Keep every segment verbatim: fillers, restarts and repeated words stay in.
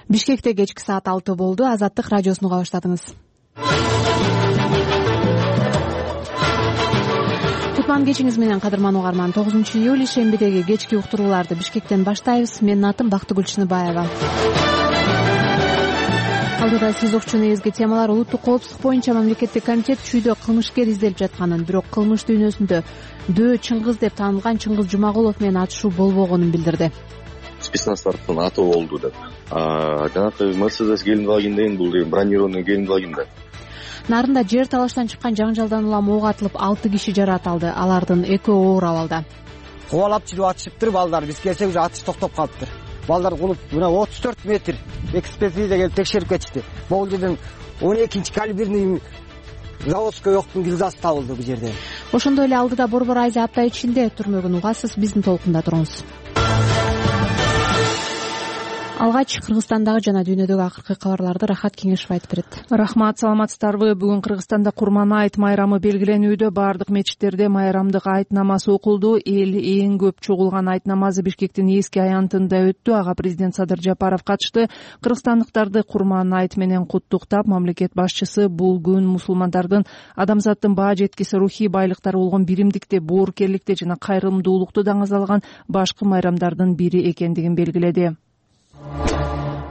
Бишкекте кечки саат алты болду. Азаттык радиосун уга баштадыңыз. Кутман кечиңиз менен кадырман угарман. тогузунчу июль шембидеги кечки уктурууларды Бишкектен баштайбыз. Менин атым Бактыгүл Чыныбаева. Алдыда сиз окчу негизги темалар: улуттук коопсуздук боюнча мамлекеттик комитет чүйдө кылмышкер изделип жатканын, бирок кылмыш дүйнөсүндө Дөө Чыңгыз деп таанылган Чыңгыз Жумагулов менен атышуу болбогонун билдирди. Спецназтардын аты болду деп. Жанагы Мерседес келип калган деген бул деген бронированный келип калган да. Нарында жер талаштан чыккан жаңжалдан улам ок атылып алты киши жаракат алды. Алардын экөө оор абалда. Кубалап чыгып атышыптыр балдар. Биз келсек уже атыш токтоп калыптыр. Балдар кулуп мына отуз төрт метр экспертиза келип текшерип кетишти. Бул жерден он экинчи калиберный заводской октун гильзасы табылды бул жерде. Ошондой эле алдыда Борбор Азия апта ичинде түрмөгүн угасыз. Биздин толкунда туруңуз. Алгач Кыргызстандагы жана дүйнөдөгү акыркы кабарларды Рахат Кеңешев айтып берет. Рахмат, саламатсыздарбы? Бүгүн Кыргызстанда Курман айт майрамы белгиленүүдө. Бардык мечиттерде майрамдык айт намазы окулду. Эл эң көп чогулган айт намазы Бишкектин эски аянтында өттү. Ага президент Садыр Жапаров катышты. Кыргызстандыктарды Курман айт менен куттуктап, мамлекет башчысы бул күн мусулмандардын адамзаттын баа жеткиси рухий байлыктары болгон биримдикте, боорукерликте жана кайрымдуулукту даңазалган башкы майрамдардын бири экендигин белгиледи.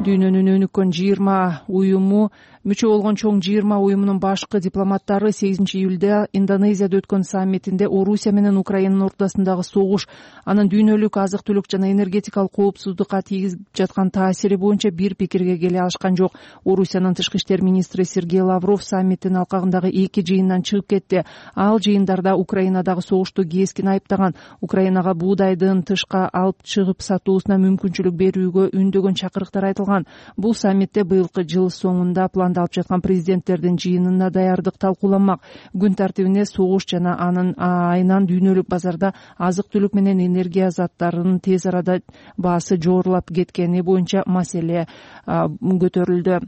Дүйнөнүн өнүккөн жыйырма уюму мүчө болгон чоң жыйырма уюмунун башкы дипломаттары сегизинчи июлда Индонезияда өткөн саммитинде Орусия менен Украинанын ортосундагы согуш, анын дүйнөлүк азык-түлүк жана энергетикалык коопсуздукка тийгизип жаткан таасири боюнча бир пикирге келе алышкан жок. Орусиянын тышкы иштер министри Сергей Лавров саммиттин алкагындагы эки жыйындан чыгып кетти. Ал жыйындарда Украинадагы согушту кескин айыптаган, Украинага буудайдын тышка алып чыгып сатуусуна мүмкүнчүлүк берүүгө үндөгөн чакырыктар айтылган. Бул саммитте быйылкы жыл соңунда пландалып жаткан президенттердин жыйынына даярдык талкууланмак. Күн тартибине согуш жана анын айынан дүйнөлүк базарда азык-түлүк менен энергия заттарынын тез арада баасы жоорлап кеткени боюнча маселе көтөрүлдү.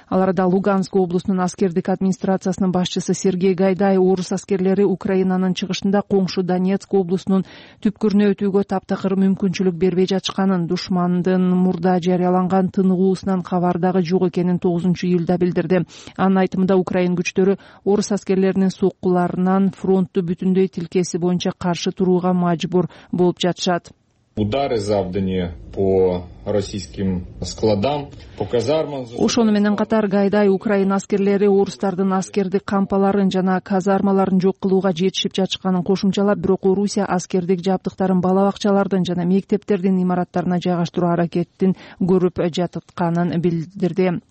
Ал арада Луганск облусунун аскердик администрациясынын башчысы Сергей Гайдай орус аскерлери Украинанын чыгышында коңшу Донецк облусунун түпкүрүнө өтүүгө таптакыр мүмкүнчүлүк бербей жатышканын, душмандын мурда жарыяланган тыныгуусунан кабар дагы жок экенин тогузунчу июлда билдирди. Анын айтымында Украин күчтөрү орус аскерлеринин соккуларынан фронтту бүтүндөй тилкеси боюнча каршы турууга мажбур болуп жатышат. Удары завданы по российским складам, по казармам. Ошону менен катар Гайдай Украина аскерлери орустардын аскердик кампаларын жана казармаларын жок кылууга жетишип жатышканын кошумчалап, бирок Орусия аскердик жабдыктарын бала бакчалардын жана мектептердин имараттарына жайгаштыруу аракетин көрүп жатканын билдирди.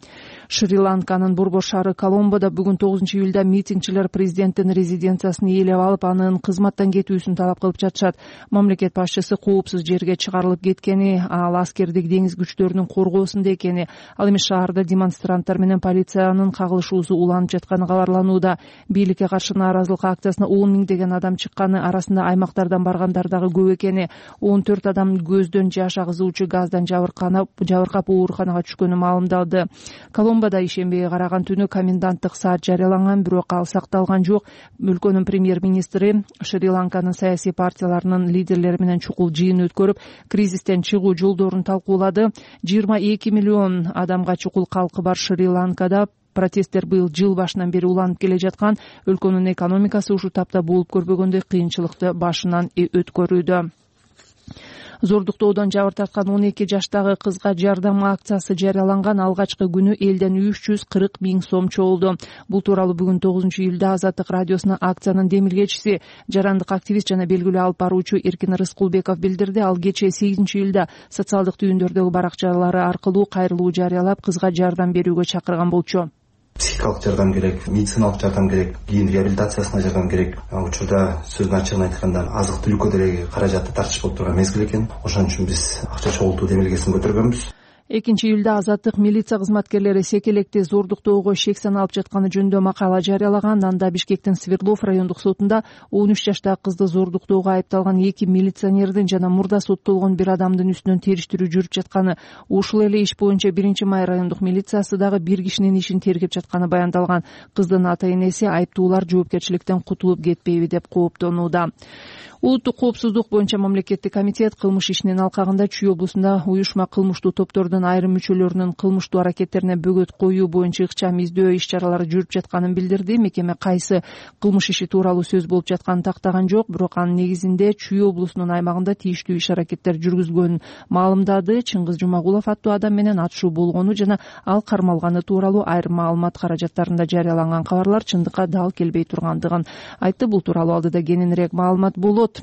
Шри-Ланканын борбор шаары Коломбодо бүгүн тогузунчу июлда митингчилер президенттин резиденциясын ээлеп алып, анын кызматтан кетүүсүн талап кылып жатышат. Мамлекет башчысы коопсуз жерге чыгарылып кеткени, ал аскердик деңиз күчтөрүнүн коргоосунда экени, ал эми шаарда демонстранттар менен полициянын кагылышуусу уланып жатканы кабарланууда. Бийликке каршы нааразылык акциясына он миңдеген адам чыкканы, арасында аймактардан баргандар дагы көп экени, он төрт адам көздөн жаш агызуучу газдан жабыркап ооруканага түшкөнү маалымдалды. Коломбодо ишембиге караган түнү коменданттык саат жарыяланган, бирок ал сакталган жок. Өлкөнүн премьер-министри Шри-Ланканын саясий партияларынын лидерлери менен чукул жыйын өткөрүп, кризистен чыгуу жолдорун талкуулады. жыйырма эки миллион адамга чукул калкы бар Шри-Ланкада протесттер быйыл жыл башынан бери уланып келе жаткан. Өлкөнүн экономикасы ушул тапта болуп көрбөгөндөй кыйынчылыкты башынан өткөрүүдө. Зордуктоодон жабыр тарткан он эки жаштагы кызга жардам акциясы жарыяланган. Алгачкы күнү элден үч жүз кырк миң сом чогулду. Бул тууралуу бүгүн тогузунчу июлда Азаттык радиосуна акциянын демилгечиси, жарандык активист жана белгилүү алып баруучу Эркин Рыскулбеков билдирди. Ал кечээ сегизинчи июлда социалдык түйүндөрдөгү баракчалары аркылуу кайрылуу жарыялап, кызга жардам берүүгө чакырган болчу. Психикалык жардам керек, медициналык жардам керек, кийин реабилитациясына жардам керек. Учурда сөздүн ачыгын айтканда азык-түлүккө деле каражатты тартыш болуп турган мезгил экен. Ошон үчүн биз акча чогултуу демилгесин көтөргөнбүз. экинчи июлда Азаттык милиция кызматкерлери Секелекти зордуктоого шек саналып жатканы жөнүндө макала жарыялаган. Анда Бишкектин Свердлов райондук сотунда он үч жаштагы кызды зордуктоого айыпталган эки милиционердин жана мурда соттолгон бир адамдын үстүнөн териштирүү жүрүп жатканы, ушул эле иш боюнча биринчи май райондук милициясы дагы бир кишинин ишин тергеп жатканы баяндалган. Кыздын ата-энеси айыптуулар жоопкерчиликтен кутулуп кетпейби деп кооптонууда. Улуттук коопсуздук боюнча мамлекеттик комитет кылмыш ишинин алкагында Чүй облусунда уюшма кылмыштуу топтордун айрым мүчөлөрүнүн кылмыштуу аракеттерине бөгөт коюу боюнча ыкчам издөө иш-чаралары жүрүп жатканын билдирди. Мекеме кайсы кылмыш иши тууралуу сөз болуп жатканын тактаган жок, бирок анын негизинде Чүй облусунун аймагында тийиштүү иш-аракеттер жүргүзгөнүн маалымдады. Чыңгыз Жумагулов аттуу адам менен атышуу болгону жана ал кармалганы тууралуу айрым маалымат каражаттарында жарыяланган кабарлар чындыкка дал келбей тургандыгын айтты. Бул тууралуу алдыда кененирээк маалымат болот.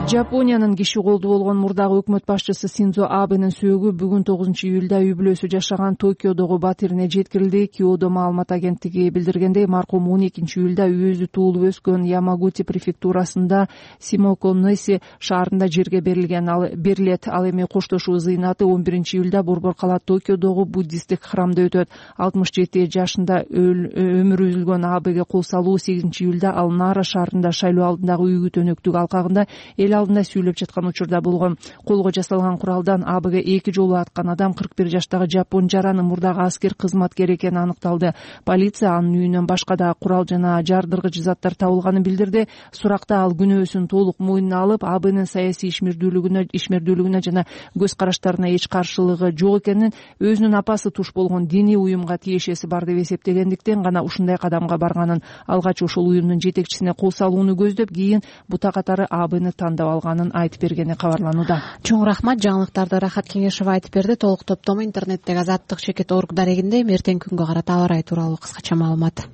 Жапониянын киши колду болгон мурдагы өкмөт башчысы Синдзо Абенин сөөгү бүгүн тогузунчу июлда үй бүлөсү жашаган Токиодогу батирине жеткирилди. Киодо маалымат агенттиги билдиргендей, маркум он экинчи июлда өзү туулуп өскөн Ямагути префектурасында Симоконеси шаарында жерге берилген ал берилет. Ал эми коштошуу зыйнаты он биринчи июлда борбор кала Токиодогу буддисттик храмда өтөт. алтымыш жети жашында өмүрү үзүлгөн Абеге кол салуу сегизинчи июлда ал Нара шаарында шайлоо алдындагы үйгү төнөктүк алкагында эл алдында сүйлөп жаткан учурда болгон. Колго жасалган куралдан Абеге эки жолу аткан адам кырк бир жаштагы жапон жараны мурдагы аскер кызматкери экени аныкталды. Полиция анын үйүнөн башка да курал жана жардыргыч заттар табылганын билдирди. Суракта ал күнөөсүн толук мойнуна алып, Абенин саясий ишмердүүлүгүнө ишмердүүлүгүнө жана көз караштарына эч каршылыгы жок экенин, өзүнүн апасы туш болгон диний уюмга тиешеси бар деп эсептегендиктен гана ушундай кадамга барганын, алгач ошол уюмдун жетекчисине кол салууну көздөп, кийин бута катары Абени тандап алганын айтып бергени кабарланууда. Чоң рахмат. Жаңылыктарды Рахат Кеңешова айтып берди. Толук топтому интернеттеги азаттык чекит орг дарегинде. Эртең күнгө карата аба ырайы тууралуу кыскача маалымат.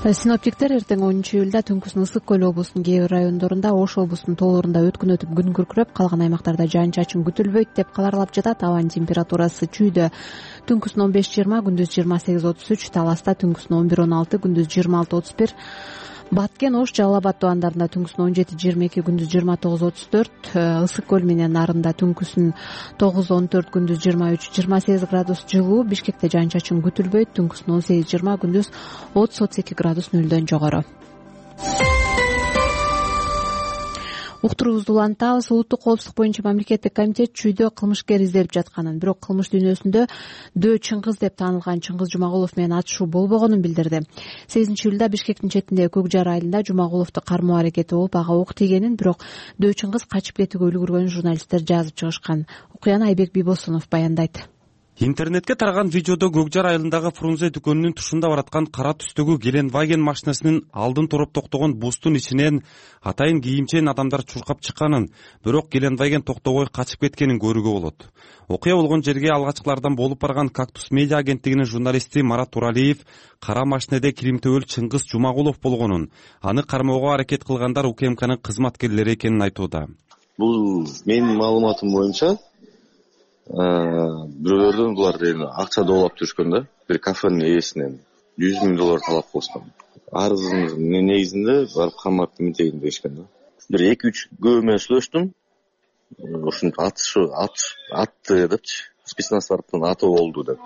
Синоптиктер эртең онунчу июлда түнкүсүн Ысык көл облусунун кээ бир райондорунда, Ош облусунун тоолорунда өткүн өтүп күн күркүрөп, калган аймактарда жаан чачын күтүлбөйт деп кабарлап жатат. Абанын температурасы Чүйдө түнкүсүн он беш жыйырма, күндүз жыйырма сегиз отуз үч, Таласта түнкүсүн он бир он алты, күндүз жыйырма алты отуз бир, Баткен, Ош, Жалал Абад тубандарында түнкүсүн он жети жыйырма эки, күндүз жыйырма тогуз отуз төрт, Ысык көл менен нарында түнкүсүн тогуз он төрт, күндүз жыйырма үч жыйырма сегиз градус жылуу. Бишкекте жаан чачын күтүлбөйт, түнкүсүн он сегиз жыйырма, күндүз отуз отуз эки градус нөлдөн жогору. Уктуруубузду улантабыз. Улуттук коопсуздук боюнча мамлекеттик комитет Чүйдө кылмышкер изделип жатканын, бирок кылмыш дүйнөсүндө Дөө Чыңгыз деп таанылган Чыңгыз Жумагулов менен атышуу болбогонун билдирди. сегизинчи июлда Бишкектин четиндеги Көк Жар айылында Жумагуловду кармоо аракети болуп, ага ок тийгенин, бирок Дөө Чыңгыз качып кетүүгө үлгүргөнүн журналисттер жазып чыгышкан. Окуяны Айбек Бийбосунов баяндайт. Интернетке тараган видеодо Көк Жар айылындагы Фрунзе дүкөнүнүн тушунда бараткан кара түстөгү Геленваген машинасынын алдын туруп токтогон бустун ичинен атайын кийимчен адамдар чуркап чыкканын, бирок Геленваген токтобой качып кеткенин көрүүгө болот. Окуя болгон жерге алгачкылардан болуп барган Кактус медиа агенттигинин журналисти Марат Туралиев кара машинеде киримтөбөл Чыңгыз Жумагулов болгонун, аны кармоого аракет кылгандар УКМКнын кызматкерлери экенин айтууда. Бул менин маалыматым боюнча бирөөлөрдөн булар акча доолап жүрүшкөн да, бир кафенин ээсинен жүз миң доллар талап кылышкан. Арыздын негизинде барып камап митегин дешкен да. Бир эки үч көө менен сүйлөштүм. Ушинтип атышы атты депчи, спецназ тараптан атуу болду деп.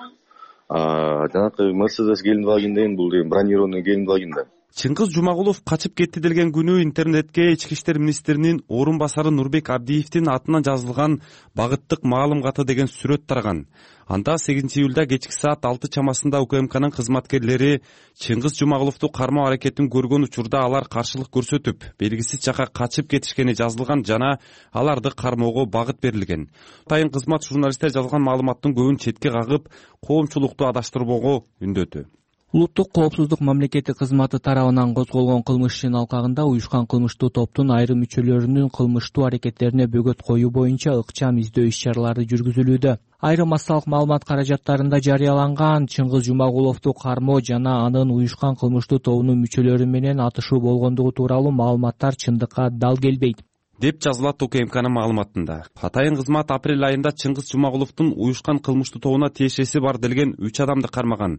Жанакы Мерседес Геленваген деген бул бронированный Геленваген да. Чыңгыз Жумагулов качып кетти делген күнү интернетке Ички иштер министринин орун басары Нурбек Абдиевдин атынан жазылган багыттык маалым каты деген сүрөт тараган. Анда сегизинчи июлда кечки саат алты чамасында УКМКнын кызматкерлери Чыңгыз Жумагуловду кармоо аракетин көргөн учурда алар каршылык көрсөтүп, белгисиз жака качып кетишкени жазылган жана аларды кармоого багыт берилген. Атайын кызмат журналисттер жазган маалыматтын көбүн четке кагып, коомчулукту адаштырбоого үндөдү. Улуттук коопсуздук мамлекеттик кызматы тарабынан козголгон кылмыш ишинин алкагында уюшкан кылмыштуу топтун айрым мүчөлөрүнүн кылмыштуу аракеттерине бөгөт коюу боюнча ыкчам издөө иш-чаралары жүргүзүлүүдө. Айрым массалык маалымат каражаттарында жарыяланган Чыңгыз Жумагуловду кармоо жана анын уюшкан кылмыштуу тобунун мүчөлөрү менен атышуу болгондугу тууралуу маалыматтар чындыкка дал келбейт деп жазылат УКМКнын маалыматында. Атайын кызмат апрель айында Чыңгыз Жумагуловдун уюшкан кылмыштуу тобуна тиешеси бар делген үч адамды кармаган.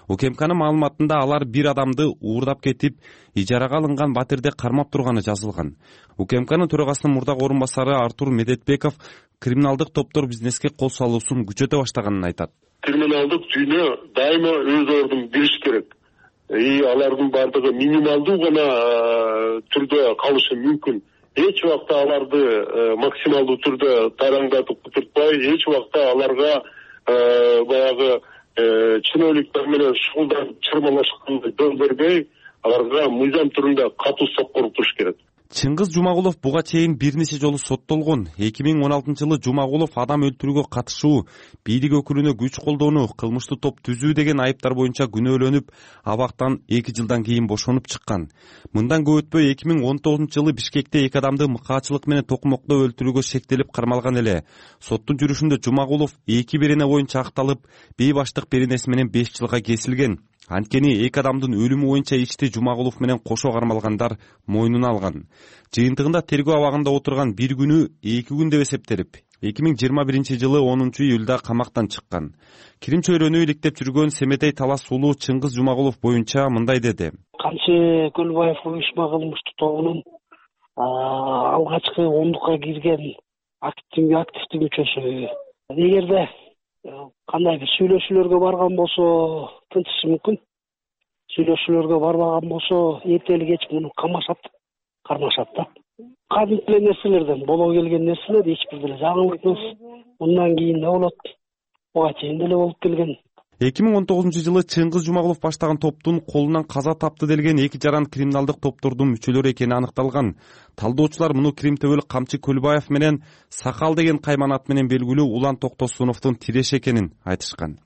УКМКнын маалыматында алар бир адамды уурдап кетип, ижарага алынган батирде кармап турганы жазылган. УКМКнын төрагасынын мурдагы орун басары Артур Медетбеков криминалдык топтор бизнеске кол салуусун күчөтө баштаганын айтат. Криминалдык жүйнө дайыма өз ордун билиш керек. И алардын бардыгы минималдуу гана түрдө калышы мүмкүн. Эч убакта аларды максималдуу түрдө тараңдатып кутуртпай, эч убакта аларга баягы чиновниктер менен шугулданып чырмалашканды жол бербей, аларга мыйзам түрүндө катуу соккор туруш керек. Чыңгыз Жумагулов буга чейин бир нече жолу соттолгон. эки миң он алтынчы жылы Жумагулов адам өлтүрүүгө катышуу, бийлик өкүлүнө күч колдонуу, кылмыштуу топ түзүү деген айыптар боюнча күнөөлөнүп, абактан эки жылдан кийин бошонуп чыккан. Мындан көп өтпөй эки миң он тогузунчу жылы Бишкекте эки адамды мыкаачылык менен токмоктоо өлтүрүүгө шектелип кармалган эле. Соттун жүрүшүндө Жумагулов эки берене боюнча акталып, бейбаштык беренеси менен беш жылга кесилген. Анткени эки адамдын өлүмү боюнча ишти Жумагулов менен кошо кармалгандар мойнуна алган. Жыйынтыгында тергөө абагында отурган бир күнү эки күн деп эсептелип, эки миң жыйырма биринчи жылы онунчу июлда камактан чыккан. Кирим чөйрөнү иликтеп жүргөн Семетей Талас уулу Чыңгыз Жумагулов боюнча мындай деди. Камчы Көлбаев уюшма кылмыштуу тобунун алгачкы ондукка кирген активдүү мүчөсү. Эгерде кандай бир сүйлөшүүлөргө барган болсо тынчышы мүмкүн. Сүйлөшүүлөргө барбаган болсо эртели кеч муну камашат, кармашат да. Кадимки эле нерселерден боло келген нерселер эч бир деле жаңылык эмес. Мындан кийин да болот. Буга чейин деле болуп келген. эки миң он тогузунчу жылы Чыңгыз Жумагулов баштаган топтун колунан каза тапты делген эки жаран криминалдык топтордун мүчөлөрү экени аныкталган. Талдоочулар муну Кримтөбөлүк Камчы Көлбаев менен Сакал деген кайман ат менен белгилүү Улан Токтосуновдун тиреши экенин айтышкан.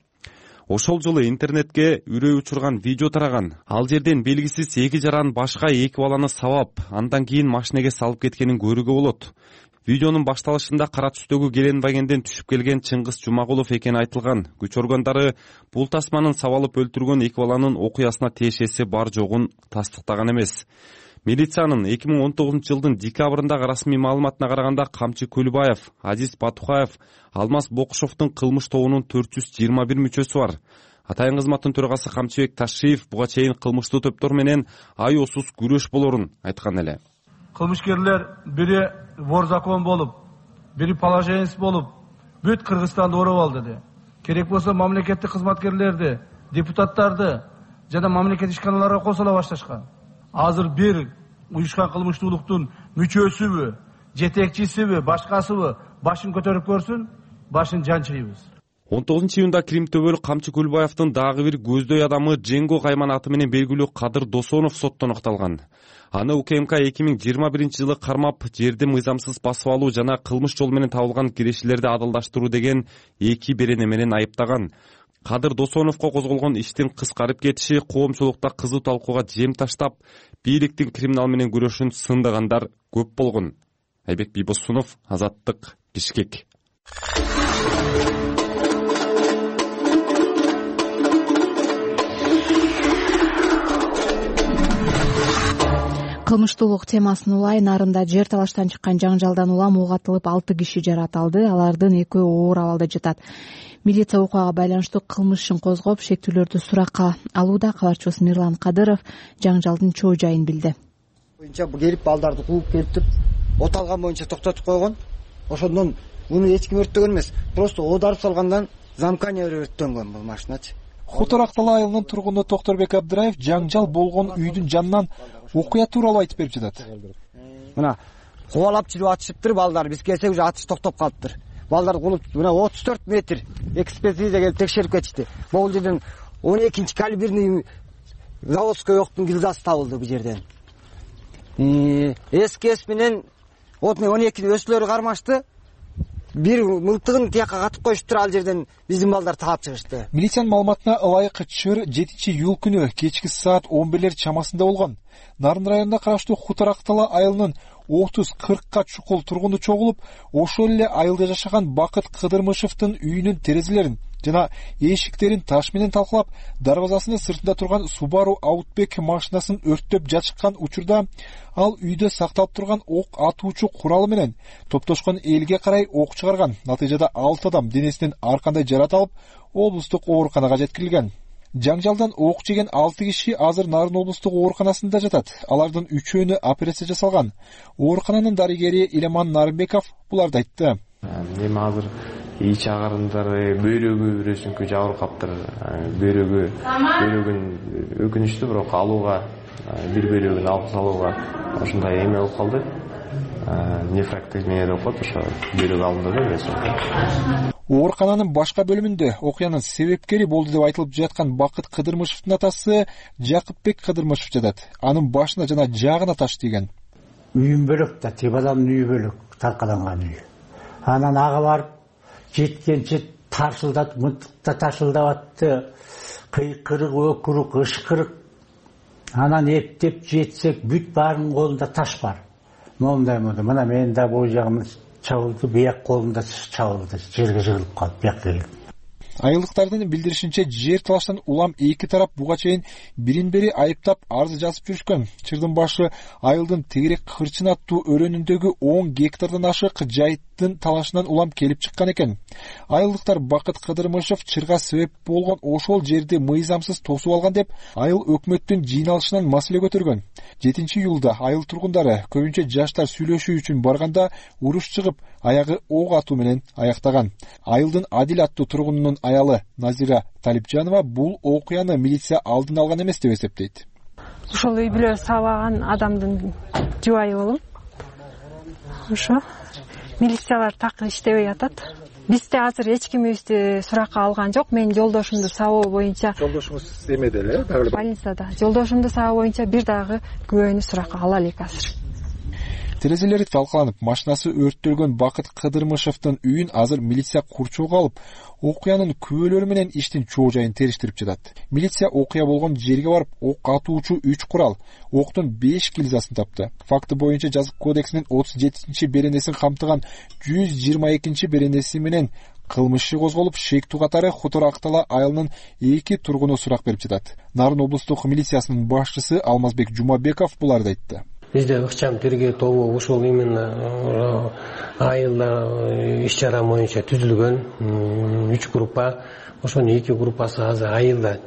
Ошол жылы интернетке үрөй учурган видео тараган. Ал жерден белгисиз эки жаран башка эки баланы сабап, андан кийин машинеге салып кеткенин көрүүгө болот. Видеонун башталышында кара түстөгү Геленвагенден түшүп келген Чыңгыз Жумагулов экени айтылган. Күч органдары бул тасманын сабалып өлтүргөн эки баланын окуясына тиешеси бар жогун тастыктаган эмес. Милициянын эки миң он тогузунчу жылдын декабрындагы расмий маалыматына караганда Камчы Көлбаев, Азиз Батухаев, Алмаз Бокушовдун кылмыш тобунун төрт жүз жыйырма бир мүчөсү бар. Атайын кызматтын төрагасы Камчыбек Ташиев буга чейин кылмыштуу топтор менен айоосуз күрөш болорун айткан эле. Кылмышкерлер бири вор закон болуп, бири положенец болуп, бүт Кыргызстанды ороп алды. Керек болсо мамлекеттик кызматкерлерди, депутаттарды жана мамлекет ишканаларга косула башташкан. Азыр бир уюшкан кылмыштуулуктун мүчөсүбү, жетекчисиби, башкасыбы башын көтөрүп көрсүн, башын жанчыйбыз. он тогузунчу июнда Кримтөбөлүк Камчы Көлбаевдин дагы бир көздөй адамы Женго кайман аты менен белгилүү Кадыр Досонов соттон окталган. Аны УКМК эки миң жыйырма биринчи жылы кармап, жерди мыйзамсыз басып алуу жана кылмыш жол менен табылган кирешилерди адалдаштыруу деген эки берене менен айыптаган. Кадыр Досоновго козголгон иштин кыскарып кетиши коомчулукта кызуу талкууга жем таштап, бийликтин криминал менен күрөшүн сындагандар көп болгон. Айбек Бийбосунов, Азаттык, Бишкек. Кылмыштуулук темасын улай нарында жер талаштан чыккан жаңжалдан улам ок атылып алты киши жаратылды. Алардын экөө оор абалда жатат. Милиция окуяга байланыштуу кылмыш ишин козгоп, шектүүлөрдү суракка алууда. Кабарчыбыз Мирлан Кадыров жаңжалдын чоо жайын билди. Боюнча келип балдарды кууп келип, от алган боюнча токтотуп койгон. Ошондон муну эч ким өрттөгөн эмес. Просто оодарып салгандан замкания өрттөнгөн бул машиначы. Хуторак Тала айылынын тургуну Токторбек Абдыраев жаңжал болгон үйдүн жанынан окуя тууралуу айтып берип жатат. Мына кубалап жүрүп атышыптыр балдар. Биз келсек уже атыш токтоп калыптыр. Балдар кулуп мына отуз төрт метр экспертиза келип текшерип кетишти. Бул жерден он экинчи калиберный заводской октун гильзасы табылды бул жерден. СКС менен он эки өсүлөрү кармашты. Бир мылтыгын тияка катып коюштур, ал жерден биздин балдар таап чыгышты. Милициянын маалыматына ылайык чыр жетинчи июль күнү кечки саат он бирлер чамасында болгон. Нарын районуна караштуу Хуторак Тала айылынын отуз кыркка чукул тургуну чогулуп, ошол эле айылда жашаган Бакыт Кыдырмышевдин үйүнүн терезелерин жана эшиктерин таш менен талкалап, дарбазасынын сыртында турган Subaru Outback машинасын өрттөп жатышкан учурда ал үйдө сакталып турган ок атуучу куралы менен топтошкон элге карай ок чыгарган. Натыйжада алты адам денесинен ар кандай жарат алып, облустук ооруканага жеткирилген. Жаңжалдан ок жеген алты киши азыр Нарын облустук ооруканасында жатат. Алардын үчөөнү операция жасалган. Оорукананын дарыгери Илеман Нарымбеков буларды айтты. Эми азыр ич агарындары, бөйрөгү бирөөсүнкү жабырып каптыр. Бөйрөгү, бөйрөгүн өкүнүчтүү, бирок алууга, бир бөйрөгүн алып салууга ошондой эме болуп калды. Нефрактомия деп коет, ошо бөйрөк алынды да. оорукананын башка бөлүмүндө окуянын себепкери болду деп айтылып жаткан Бакыт Кыдырмышевдин атасы Жакыпбек Кыдырмышев жатат. Анын башына жана жаагына таш тийген. Үйүм бөлөк да, тип адамдын үйү бөлөк, таркаланган үй. Анан ага барып жеткенче таршылдатып, мынтыкта таршылдап атты. Кыйкырык, өкүрүк, ышкырык. Анан эптеп жетсек, бүт баарынын колунда таш бар. Мондай мондай. Мына мен да бул жагым чабылды, бияк колумда чабылды, жерге жыгылып калып, бияк келди. Айылдыктардын билдиришинче, жер талаштан улам эки тарап буга чейин бирин-бири айыптап арыз жазып жүрүшкөн. Чырдын башы айылдын тегерек кырчын аттуу өрөөнүндөгү он гектардан ашык жайыттын талашынан улам келип чыккан экен. Айылдыктар Бакыт Кыдырмышев чырга себеп болгон ошол жерди мыйзамсыз тосуп алган деп айыл өкмөттүн жыйналышынан маселе көтөргөн. жетинчи июлда айыл тургундары көбүнчө жаштар сүйлөшүү үчүн барганда уруш чыгып, аягы ок атуу менен аяктаган. Айылдын Адил аттуу тургунунун аялы Назира Талипжанова бул окуяны милиция алдын алган эмес деп эсептейт. Ошол үй бүлө сабаган адамдын жубайы болом. Ошо милициялар такыр иштебей атат. Бизде азыр эч кимибизди суракка алган жок. Мен жолдошумду сабоо боюнча. Жолдошуңуз эмеде эле, дагы больницада. Жолдошумду сабоо боюнча бир дагы күбөнү суракка ала элек азыр. Терезелери талкаланып, машинасы өрттөлгөн Бакыт Кыдырмышевдин үйүн азыр милиция курчоого алып, окуянын күбөлөрү менен иштин чоо жайын териштирип жатат. Милиция окуя болгон жерге барып, ок атуучу үч курал, октун беш гильзасын тапты. Факты боюнча жазык кодексинин отуз жетинчи беренесин камтыган жүз жыйырма экинчи беренеси менен кылмыш иши козголуп, шектүү катары Хутор Актала айылынын эки тургуну сурак берип жатат. Нарын облустук милициясынын башчысы Алмазбек Жумабеков буларды айтты. Бизде ыкчам тергөө тобу ушул именно айылда иш чара боюнча түзүлгөн үч группа. Ошонун эки группасы азыр айылда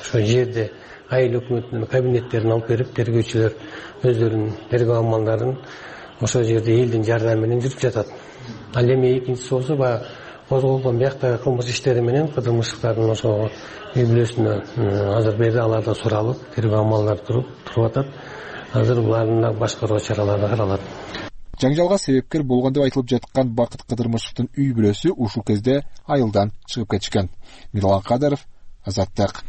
ошо жерде айыл өкмөтүнүн кабинеттерин алып берип, тергөөчүлөр өздөрүнүн тергөө амалдарын ошол жерде элдин жардамы менен жүрүп жатат. Ал эми экинчиси болсо баягы козголгон бияктагы кылмыш иштери менен Кыдырмышевдин ошо үй бүлөсүнө азыр бери алардан суралып, тергөө амалдары туруп туруп атат. Азыр булардын башкаруу чаралары каралат. Жаңжалга себепкер болгон деп айтылып жаткан Бакыт Кыдырмышевдин үй бүлөсү ушул кезде айылдан чыгып кетишкен. Мирлан Кадыров, Азаттык.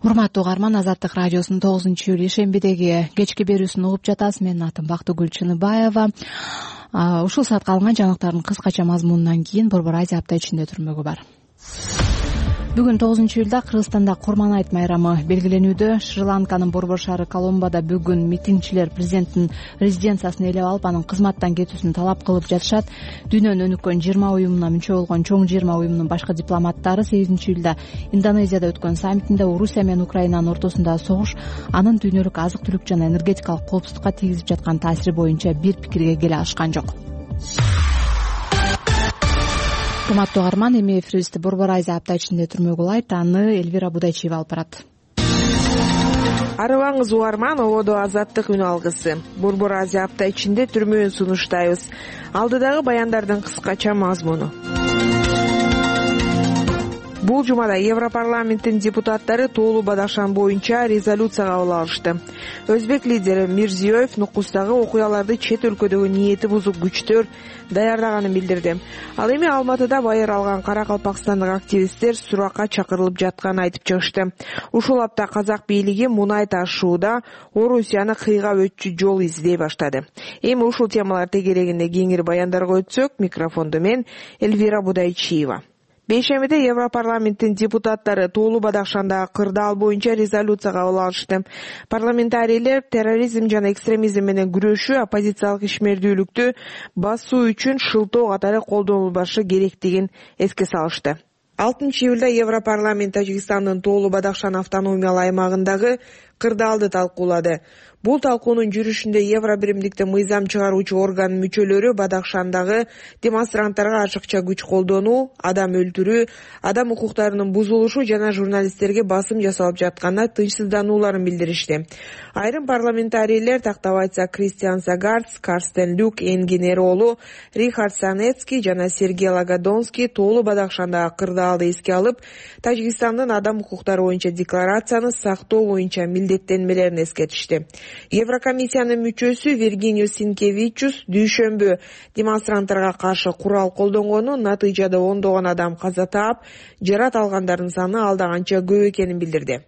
Урматтуу угарман, Азаттык радиосунун тогузунчу июль ишембидеги кечки берүүсүн угуп жатасыз. Менин атым Бактыгүл Чыныбаева. Ушул саатка алынган жаңылыктардын кыскача мазмунунан кийин Борбор Азия апта ичинде түрмөгү бар. Бүгүн тогузунчу июлда Кыргызстанда Курман-айт майрамы белгиленүүдө. Шри-Ланканын борбор шаары Коломбода бүгүн митингчилер президенттин резиденциясын ээлеп алып, анын кызматтан кетүүсүн талап кылып жатышат. Дүйнөнү өнүккөн жыйырма уюмуна мүчө болгон чоң жыйырма уюмунун башкы дипломаттары сегизинчи июлда Индонезияда өткөн саммитинде Орусия менен Украинанын ортосундагы согуш анын дүйнөлүк азык-түлүк жана энергетикалык коопсуздукка тийгизип жаткан таасири боюнча бир пикирге келе алышкан жок. Урматтуу угарман, эми эфирибизди Борбор Азия апта ичинде түрмөгү улайт. Аны Элвира Будайчиева алып барат. Арыбаңыз угарман, ободо Азаттык үн алгысы. Борбор Азия апта ичинде түрмөөн сунуштайбыз. Алдыдагы баяндардын кыскача мазмуну. Бул жумада Европарламенттин депутаттары тоолуу Бадахшан боюнча резолюция кабыл алышты. Өзбек лидери Мирзиёев Нукустагы окуяларды чет өлкөдөгү ниети бузук күчтөр даярдаганын билдирди. Ал эми Алматыда байыр алган Каракалпакстандык активисттер суракка чакырылып жатканын айтып чыгышты. Ушул апта казак бийлиги мунай ташууда Орусияны кыйгап өтчү жол издей баштады. Эми ушул темалар тегерегинде кеңири баяндарга өтсөк, микрофонду мен Элвира Будайчиева. Бейшембиде Европарламенттин депутаттары тоолуу Бадахшандагы кырдаал боюнча резолюция кабыл алышты. Парламентарийлер терроризм жана экстремизм менен күрөшүү, оппозициялык ишмердүүлүктү басуу үчүн шылтоо катары колдонулбашы керектигин эске салышты. алтынчы июлда Европарламент Тажикстандын тоолуу Бадахшан автономиялык аймагындагы кырдаалды талкуулады. Бул талкуунун жүрүшүндө Евро биримдикте мыйзам чыгаруучу орган мүчөлөрү Бадахшандагы демонстранттарга ашыкча күч колдонуу, адам өлтүрүү, адам укуктарынын бузулушу жана журналисттерге басым жасалып жатканына тынчсызданууларын билдиришти. Айрым парламентарийлер, тактап айтса Кристиан Сагардс, Карстен Люк, Энгин Эролу, Рихард Санецкий жана Сергей Лагодонский тоолуу Бадахшандагы кырдаалды эске алып, Тажикстандын адам укуктары боюнча декларацияны сактоо боюнча милдеттенмелерин эскертишти. Еврокомиссиянын мүчөсү Виргиниус Синкевичус дүйшөмбү демонстранттарга каршы курал колдонгону натыйжада ондогон адам каза таап, жарат алгандардын саны алда канча көп экенин билдирди.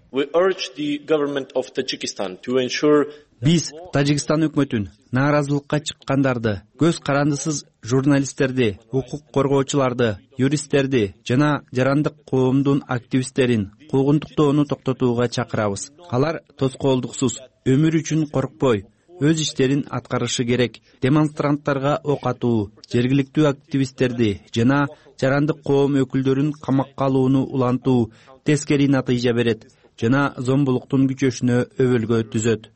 Биз Тажикстан өкмөтүн нааразылыкка чыккандарды, көз карандысыз журналисттерди, укук коргоочуларды, юристтерди жана жарандык коомдун активисттерин куугунтуктоону токтотууга чакырабыз. Алар тоскоолдуксуз, өмүр үчүн коркпой, өз иштерин аткарышы керек. Демонстранттарга ок атуу, жергиликтүү активисттерди жана жарандык коом өкүлдөрүн камакка алууну улантуу тескери натыйжа берет жана зомбулуктун күчөшүнө өбөлгө түзөт,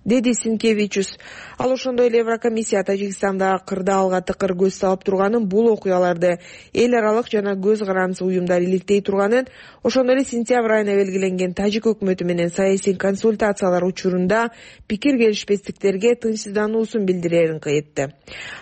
деди Синкевичус. Ал ошондой эле Еврокомиссия Тажикстандагы кырдаалга тыкыр көз салып турганын, бул окуяларды эл аралык жана көз карандысыз уюмдар иликтей турганын, ошондой эле сентябрь айына белгиленген тажик өкмөтү менен саясий консультациялар учурунда пикир келишпестиктерге тынчсыздануусун билдирерин айтты.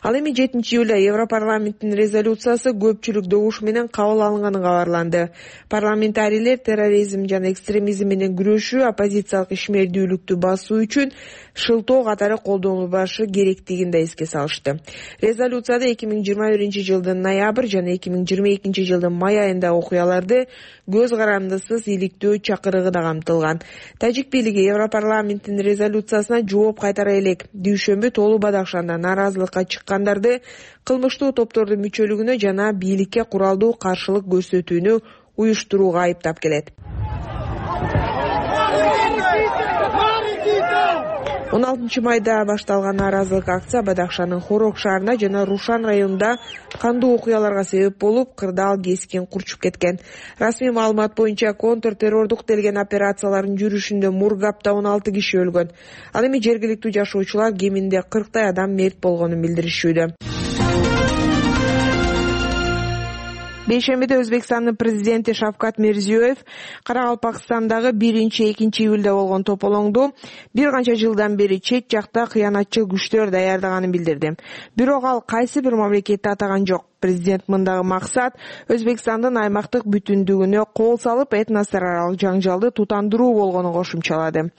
Ал эми жетинчи июлда Европарламенттин резолюциясы көпчүлүк добуш менен кабыл алынганы кабарланды. Парламентарийлер терроризм жана экстремизм менен күрөшүү, оппозициялык ишмердүүлүктү басуу үчүн шылтоо катары колдонулбашы керектигин да эске салышты. Резолюцияда эки миң жыйырма биринчи жылдын ноябрь жана эки миң жыйырма экинчи жылдын май айындагы окуяларды көз карандысыз иликтөө чакырыгы да камтылган. Тажик бийлиги Европарламенттин резолюциясына жооп кайтара элек дүйшөмбү Тоолу Бадахшанда нааразылыкка чыккандарды кылмыштуу топтордун мүчөлүгүнө жана бийликке куралдуу каршылык көрсөтүүнү уюштурууга айыптап келет. он алтынчы майда башталган нааразылык акция Бадахшанын Хорок шаарында жана Рушан районунда кандуу окуяларга себеп болуп, кырдаал кескин курчуп кеткен. Расмий маалымат боюнча контртеррордук делген операциялардын жүрүшүндө Мургапта он алты киши өлгөн. Ал эми жергиликтүү жашоочулар кеминде кырктай адам мерт болгонун билдиришүүдө. Бейшембиде Өзбекстандын президенти Шавкат Мирзиёев Каракалпакстандагы биринчи экинчи июлда болгон тополоңду бир канча жылдан бери чет жакта кыянатчыл күчтөр даярдаганын билдирди. Бирок ал кайсы бир мамлекетти атаган жок. Президент мындагы максат Өзбекстандын аймактык бүтүндүгүнө кол салып, этностор аралык жаңжалды тутандыруу болгонун кошумчалады.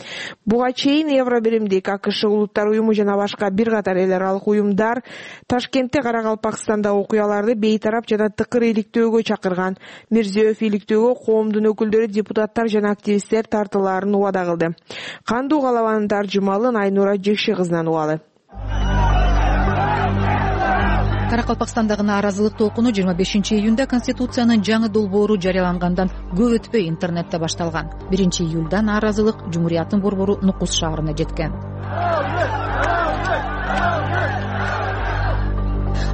Буга чейин Евробиримдик, АКШ улуттар уюму жана башка бир катар эл аралык уюмдар Ташкентте Каракалпакстандагы окуяларды бейтарап жана тыкыр иликтөөгө чакырган. Мирзиёев иликтөөгө коомдун өкүлдөрү, депутаттар жана активисттер тартылаарын убада кылды. Кандуу калабанын таржымалын Айнура Жекши кызынан угалы. Каракалпакстандагы нааразылык толкуну жыйырма бешинчи июнда Конституциянын жаңы долбоору жарыялангандан көп өтпөй интернетте башталган. биринчи июлда нааразылык Жумурияттын борбору Нукус шаарына жеткен.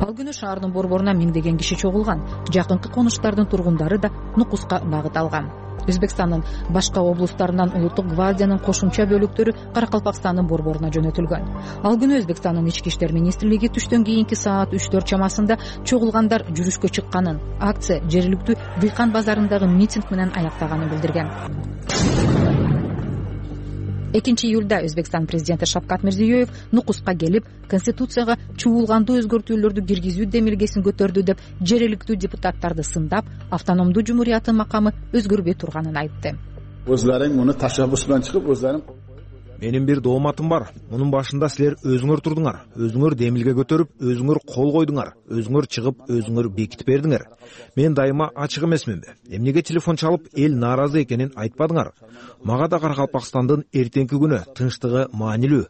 Ал күнү шаардын борборуна миңдеген киши чогулган. Жакынкы конуштардын тургундары да Нукуска багыт алган. Өзбекстандын башка облустарынан улуттук гвардиянын кошумча бөлүктөрү Каракалпакстандын борборуна жөнөтүлгөн. Ал күнү Өзбекстандын ички иштер министрлиги түштөн кийинки саат үч төрт чамасында чогулгандар жүрүшкө чыкканын, акция жергиликтүү Дыйкан базарындагы митинг менен аяктаганын билдирген. экинчи июлда Өзбекстан президенти Шавкат Мирзиёев Нукуска келип, Конституцияга чуулгандуу өзгөртүүлөрдү киргизүү демилгесин көтөрдү деп жергиликтүү депутаттарды сындап, автономдуу жумурияттын макамы өзгөрбөй турганын айтты. Өзлөрүң муну ташаббус менен чыгып, өзлөрүң Менин бир дооматым бар. Мунун башында силер өзүңөр турдуңар, өзүңөр демилге көтөрүп, өзүңөр кол койдуңар, өзүңөр чыгып, өзүңөр бекитип бердиңер. Мен дайыма ачык эмесминби? Эмнеге телефон чалып, эл нааразы экенин айтпадыңар? Мага да Каракалпакстандын эртеңки күнү тынчтыгы маанилүү.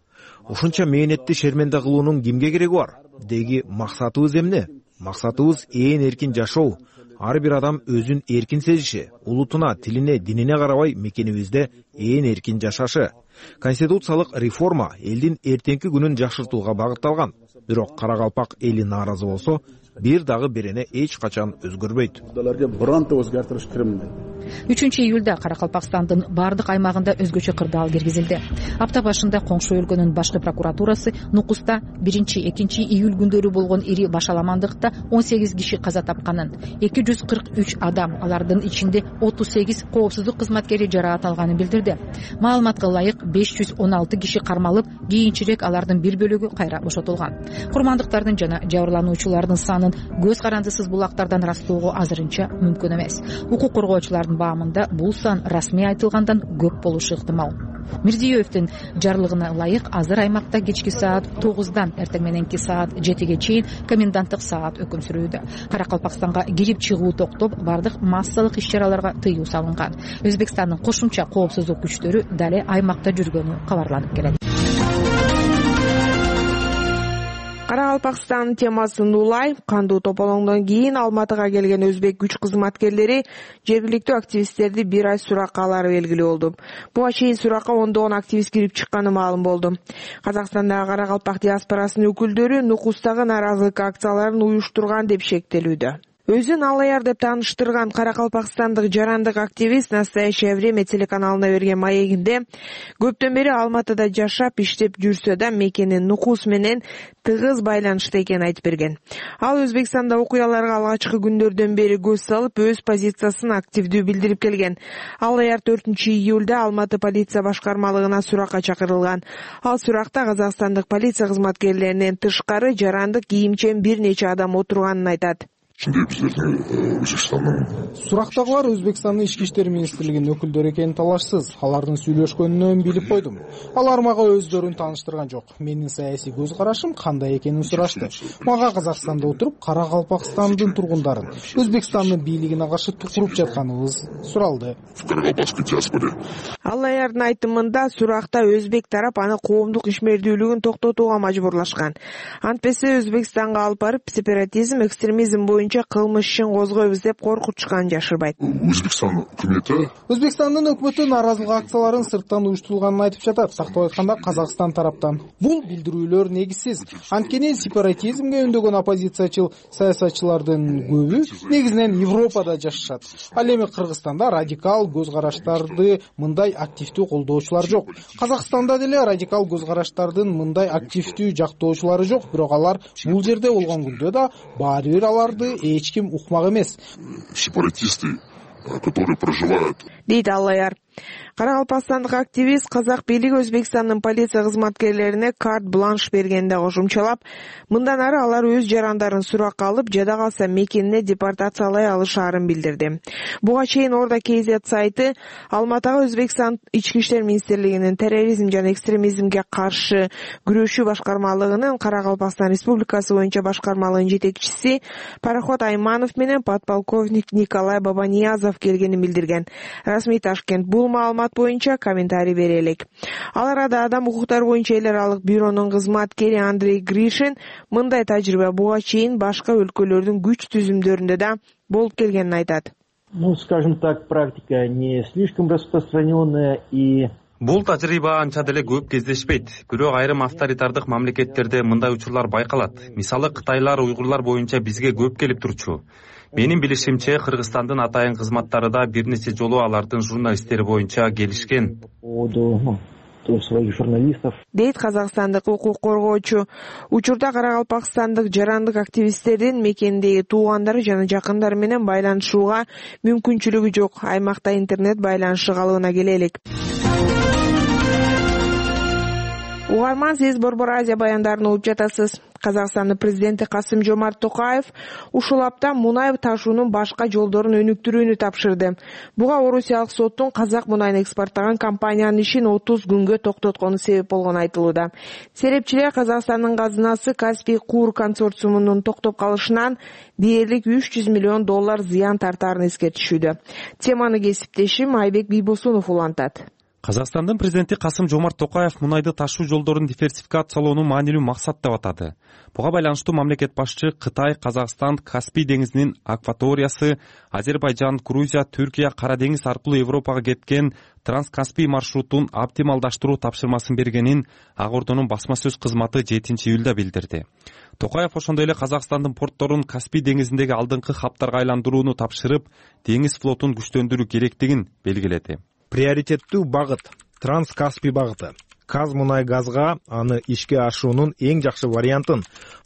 Ушунча мээнетти шерменде кылуунун кимге кереги бар? Деги максатыбыз эмне? Максатыбыз ээн эркин жашоо. Ар бир адам өзүн эркин сезиши, улутуна, тилине, динине карабай мекенибизде ээн эркин жашашы. Конституциялык реформа элдин эртеңки күнүн жакшыртууга багытталган. Бирок Каракалпак эли нааразы болсо, бир дагы берене эч качан өзгөрбөйт. үчүнчү июлда Каракалпакстандын бардык аймагында өзгөчө кырдаал киргизилди. Апта башында коңшу өлкөнүн башкы прокуратурасы Нукуста биринчи экинчи июль күндөрү болгон ири башаламандыкта он сегиз киши каза тапканын, эки жүз кырк үч адам, алардын ичинде отуз сегиз коопсуздук кызматкери жараат алганын билдирди. Маалыматка ылайык беш жүз он алты киши кармалып, кийинчерээк алардын бир бөлүгү кайра бошотулган. Курмандыктардын жана жабырлануучулардын санын көз карандысыз булактардан ырастоого азырынча мүмкүн эмес. Укук коргоочулардын баамында бул сан расмий айтылгандан көп болушу ыктымал. Мирзиёевдин жарлыгына ылайык азыр аймакта кечки саат тогуздан эртең мененки саат жетиге чейин коменданттык саат өкүм сүрүүдө. Каракалпакстанга кирип чыгуу токтоп, бардык массалык иш-чараларга тыюу салынган. Өзбекстандын кошумча коопсуздук күчтөрү дале аймакта жүргөнү кабарланып келет. Каракалпакстан темасын улай, кандуу тополоңдон кийин Алматыга келген өзбек күч кызматкерлери жергиликтүү активисттерди бир ай суракка алары белгилүү болду. Буга чейин суракка ондогон активист кирип чыкканы маалым болду. Казакстандагы Каракалпак диаспорасынын өкүлдөрү Нукустагы нааразылык акцияларын уюштурган деп шектелүүдө. Өзүн Алаяр деп тааныштырган каракалпакстандык жарандык активист «Настоящее время» телеканалына берген маегинде көптөн бери Алматыда жашап, иштеп жүрсө да мекени Нукус менен тыгыз байланышта экенин айтып берген. Ал Өзбекстанда окуяларга алгачкы күндөрдөн бери көз салып, өз позициясын активдүү билдирип келген. Алаяр төртүнчү июлда Алматы полиция башкармалыгына суракка чакырылган. Ал суракта казакстандык полиция кызматкерлеринен тышкары жарандык кийимчен бир нече адам отурганын айтат. Сурактагылар Өзбекстандын ички иштер министрлигинин өкүлдөрү экени талашсыз. Алардын сүйлөшкөнүнөн билип койдум. Алар мага өздөрүн тааныштырган жок. Менин саясий көз карашым кандай экенин сурашты. Мага Казакстанда отуруп, Каракалпакстандын тургундарын, Өзбекстандын бийлигине каршы тукуруп жатканыбыз суралды. Алаярдын айтымында суракта өзбек тарап аны коомдук ишмердүүлүгүн токтотууга мажбурлашкан. Антпесе Өзбекстанга алып барып сепаратизм, экстремизм боюнча кылмыш ишин козгойбуз деп коркутушканын жашырбайт. Өзбекстан өкмөтү Өзбекстандын өкмөтү нааразылык акцияларын сырттан уюштурулганын айтып жатат. Тактап айтканда Казакстан тараптан. Бул билдирүүлөр негизсиз. Анткени сепаратизмге үндөгөн оппозициячыл саясатчылардын көбү негизинен Европада жашашат. Ал эми Кыргызстанда радикал көз караштарды мындай активдүү колдоочулар жок. Казакстанда деле радикал көз караштардын мындай активдүү жактоочулары жок, бирок алар бул жерде болгон күндө да баары бир аларды эч ким укмак эмес. Сепаратисты, которые проживают. Дейт Алаяр. Каракалпакстандык активист казак бийлиги Өзбекстандын полиция кызматкерлерине карт бланш бергенде кошумчалап, мындан ары алар өз жарандарын суракка алып, жада калса мекенине депортациялай алышаарын билдирди. Буга чейин Орда кей зет сайты Алматыга Өзбекстан ички иштер министрлигинин терроризм жана экстремизмге каршы күрөшүү башкармалыгынын Каракалпакстан Республикасы боюнча башкармалыгынын жетекчиси Пароход Айманов менен подполковник Николай Бабаниязов келгенин билдирген. Расмий Ташкент бул маалымат боюнча комментарий бере элек. Ал арада Адам укуктары боюнча эл аралык бюронун кызматкери Андрей Гришин мындай тажрыйба буга чейин башка өлкөлөрдүн күч түзүмдөрүндө да болуп келгенин айтат. Ну, скажем так, практика не слишком распространенная и Бул тажрыйба анча деле көп кездешпейт. Бирок айрым авторитардык мамлекеттерде мындай учурлар байкалат. Мисалы Кытайлар уйгурлар боюнча бизге көп келип турчу. Менин билишимче, Кыргызстандын атайын кызматтары да бир нече жолу алардын журналисттери боюнча келишкен. Дейт казакстандык укук коргоочу. Учурда Каракалпакстандык жарандык активисттердин мекендеги туугандары жана жакындары менен байланышууга мүмкүнчүлүгү жок. Аймакта интернет байланышы калыбына келе элек. Угарман, сиз Борбор Азия баяндарын угуп жатасыз. Казакстандын президенти Касым-Жомарт Токаев ушул апта мунай ташуунун башка жолдорун өнүктүрүүнү тапшырды. Буга Орусиялык соттун казак мунайын экспорттаган компаниянын ишин отуз күнгө токтоткону себеп болгону айтылууда. Серепчилер Казакстандын казынасы Каспий Куур консорциумунун токтоп калышынан дээрлик үч жүз миллион доллар зыян тартаарын эскертишүүдө. Теманы кесиптешим Айбек Бийбосунов улантат. Казакстандын президенти Касым-Жомарт Токаев мунайды ташуу жолдорун диверсификациялоону маанилүү максат деп атады. Буга байланыштуу мамлекет башчы Кытай, Казакстан, Каспий деңизинин акваториясы, Азербайжан, Грузия, Түркия, Кара деңиз аркылуу Европага кеткен Транскаспий маршрутун оптималдаштыруу тапшырмасын бергенин Ак Ордонун басма сөз кызматы жетинчи июлда билдирди. Токаев ошондой эле Казакстандын портторун Каспий деңизиндеги алдыңкы хаптарга айландырууну тапшырып, деңиз флотун күчтөндүрүү керектигин белгиледи. Приоритеттүү багыт Транскаспий багыты. Казмунайгазга аны ишке ашуунун эң жакшы вариантын,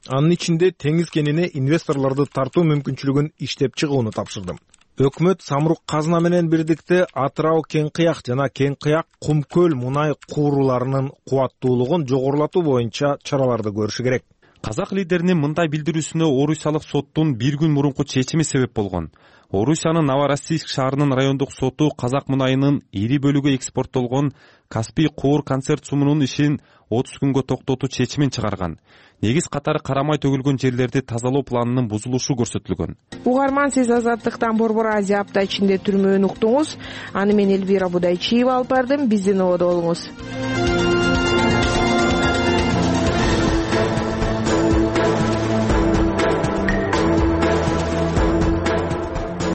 анын ичинде теңиз кенине инвесторлорду тартуу мүмкүнчүлүгүн иштеп чыгууну тапшырдым. Өкмөт Самрук казына менен бирдикте Атырау Кең Кыяк жана Кең Кыяк Кум көл мунай кууруларынын кубаттуулугун жогорулатуу боюнча чараларды көрүшү керек. казак лидеринин мындай билдирүүсүнө орусиялык соттун бир күн мурунку чечими себеп болгон. Орусиянын Новороссийск шаарынын райондук соту казак мунайынын ири бөлүгү экспорттолгон Каспий куур концерциумунун ишин отуз күнгө токтотуу чечимин чыгарган. Негиз катары карамай төгүлгөн жерлерди тазалоо планынын бузулушу көрсөтүлгөн. Угарман, сиз Азаттыктан Борбор Азия апта ичинде түрмөөнү уктуңуз. Аны мен Элвира Будайчиева алып бардым. Биздин ободо болуңуз.